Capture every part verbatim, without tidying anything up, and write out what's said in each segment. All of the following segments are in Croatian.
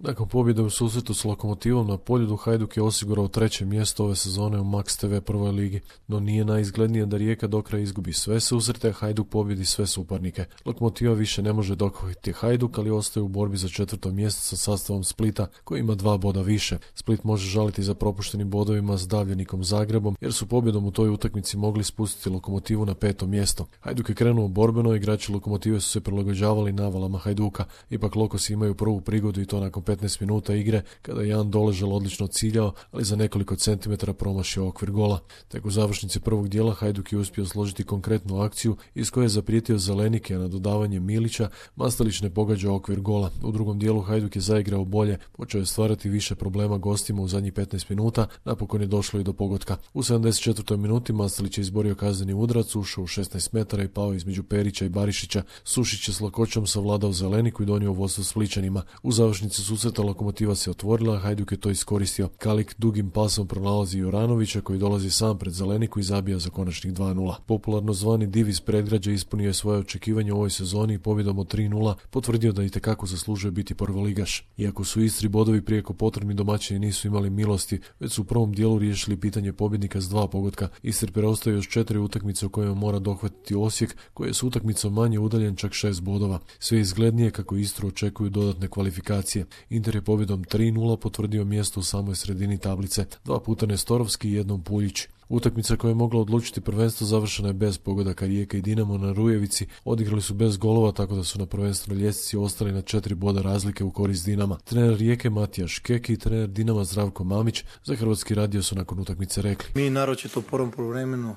Nakon pobjede u susretu s Lokomotivom na Poljudu, Hajduk je osigurao treće mjesto ove sezone u Max te ve prvoj ligi, no nije najizglednije da Rijeka do kraja izgubi sve susrete, a Hajduk pobjedi sve suparnike. Lokomotiva više ne može dohvatiti Hajduk, ali ostaje u borbi za četvrto mjesto sa sastavom Splita, koji ima dva boda više. Split može žaliti za propuštenim bodovima s davljenikom Zagrebom, jer su pobjedom u toj utakmici mogli spustiti Lokomotivu na peto mjesto. Hajduk je krenuo borbeno, igrači Lokomotive su se prilagođavali navalama Hajduka. Ipak Lokosi imaju prvu prigodu i to nakon petnaest minuta igre, kada je Jan Doležal odlično ciljao, ali za nekoliko centimetara promašio okvir gola. Tek u završnici prvog dijela Hajduk je uspio složiti konkretnu akciju iz koje je zaprijetio Zelenike, a na dodavanje Milića Mastelić ne pogađa okvir gola. U drugom dijelu Hajduk je zaigrao bolje, počeo je stvarati više problema gostima u zadnjih petnaest minuta, napokon je došlo i do pogotka. U sedamdeset četvrtoj minuti Mastelić je izborio kazneni udarac, ušao u šesnaest metara i pao između Perića i Barišića. Sušić je s lakoćom savladao Zeleniku i donio vodstvo Splićanima. U završnici susreta Lokomotiva se otvorila, a Hajduk je to iskoristio. Kalik dugim pasom pronalazi Juranovića, koji dolazi sam pred Zeleniku i zabija za konačnih dva nula. Popularno zvani div iz predgrađa ispunio je svoje očekivanje u ovoj sezoni i pobjedom od tri nula potvrdio da itekako zaslužuje biti prvoligaš. Iako su Istri bodovi prijeko potrebni, domaćini nisu imali milosti, već su u prvom dijelu riješili pitanje pobjednika s dva pogotka. Istri preostaje još četiri utakmice u kojima mora dohvatiti Osijek, koji je s utakmicom manje udaljen čak šest bodova. Sve izglednije kako Istru očekuju dodatne kvalifikacije. Inter je pobjedom tri nula potvrdio mjesto u samoj sredini tablice, dva puta Nestorovski i jednom Puljić. Utakmica koja je mogla odlučiti prvenstvo završena je bez pogodaka. Rijeka i Dinamo na Rujevici odigrali su bez golova, tako da su na prvenstvenoj ljestvici ostali na četiri boda razlike u korist Dinama. Trener Rijeke Matija Škeki i trener Dinama Zdravko Mamić za Hrvatski radio su nakon utakmice rekli: Mi naročito u prvom poluvremenu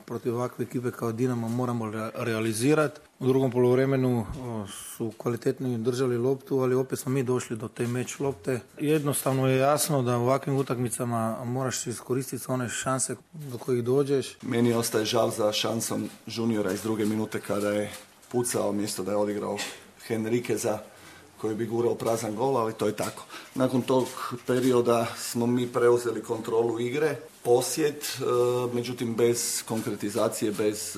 protiv ovakve ekipe kao Dinamo moramo realizirati. U drugom poluvremenu su kvalitetno držali loptu, ali opet smo mi došli do te meč lopte. Jednostavno je jasno da u ovakvim utakmicama moraš iskoristiti one šanse do kojih dođeš. Meni ostaje žal za šansom juniora iz druge minute kada je pucao mjesto da je odigrao Henriqueza koji bi gurao prazan gol, ali to je tako. Nakon tog perioda smo mi preuzeli kontrolu igre, posjed, međutim bez konkretizacije, bez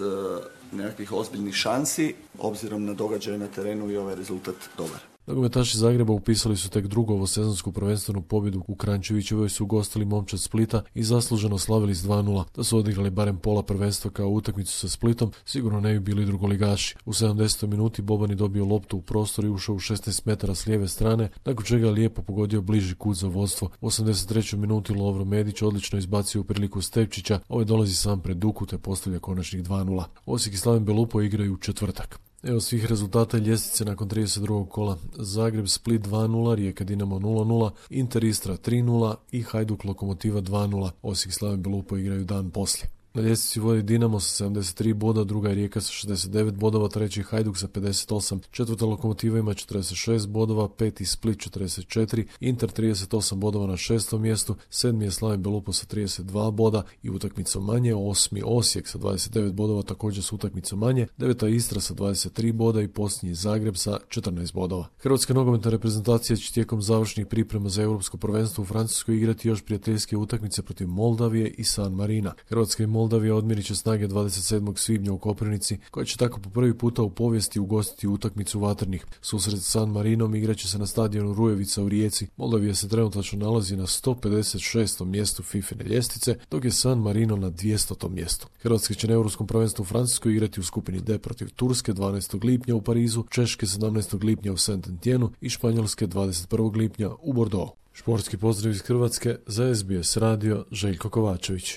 nekakvih ozbiljnih šansi, obzirom na događaje na terenu i ovaj rezultat dobar. Nogometaši Zagreba upisali su tek drugu ovosezonsku prvenstvenu pobjedu. U Kranjčevićevoj su ugostili momčad Splita i zasluženo slavili s dva nula. Da su odigrali barem pola prvenstva kao utakmicu sa Splitom, sigurno ne bi bili drugoligaši. U sedamdesetoj minuti Boban je dobio loptu u prostor i ušao u šesnaest metara s lijeve strane, nakon čega je lijepo pogodio bliži kut za vodstvo. U osamdeset trećoj minuti Lovro Medić odlično izbacio u priliku Stepčića, ovaj dolazi sam pred Duku te postavlja konačnih dva nula. Osijek i Slaven Belupo igraju u četvrtak. Evo svih rezultata ljestvice nakon trideset drugog kola. Zagreb Split dva nula, Rijeka Dinamo nula nula, Inter Istra tri nula i Hajduk Lokomotiva dva nula. Osijek i Slaven Belupo igraju dan poslije. Na ljestvici vodi Dinamo sa sedamdeset tri boda, druga je Rijeka sa šezdeset devet bodova, treći Hajduk sa pedeset osam, četvrta Lokomotiva ima četrdeset šest bodova, peti Split četrdeset četiri, Inter trideset osam bodova na šestom mjestu, sedmi je Slaven Belupo sa trideset dva boda i utakmicom manje, osmi Osijek sa dvadeset devet bodova također s utakmicom manje, deveta Istra sa dvadeset tri boda i posljednji Zagreb sa četrnaest bodova. Hrvatska nogometna reprezentacija će tijekom završnih priprema za europsko prvenstvo u Francuskoj igrati još prijateljske utakmice protiv Moldavije i San Marina. Hrvatska i Moldavija odmjerit će snage dvadeset sedmog svibnja u Koprivnici, koja će tako po prvi puta u povijesti ugostiti utakmicu vatrnih. Susret s San Marinom igraće se na stadionu Rujevica u Rijeci. Moldavija se trenutačno nalazi na sto pedeset šestom mjestu fifine ljestvice, dok je San Marino na dvjestotom mjestu. Hrvatska će na europskom prvenstvu u Francuskoj igrati u skupini D protiv Turske dvanaestog lipnja u Parizu, Češke sedamnaestog lipnja u Saint-Etienneu i Španjolske dvadeset prvog lipnja u Bordeauxu. Športski pozdrav iz Hrvatske, za S B S radio Željko Kovačević.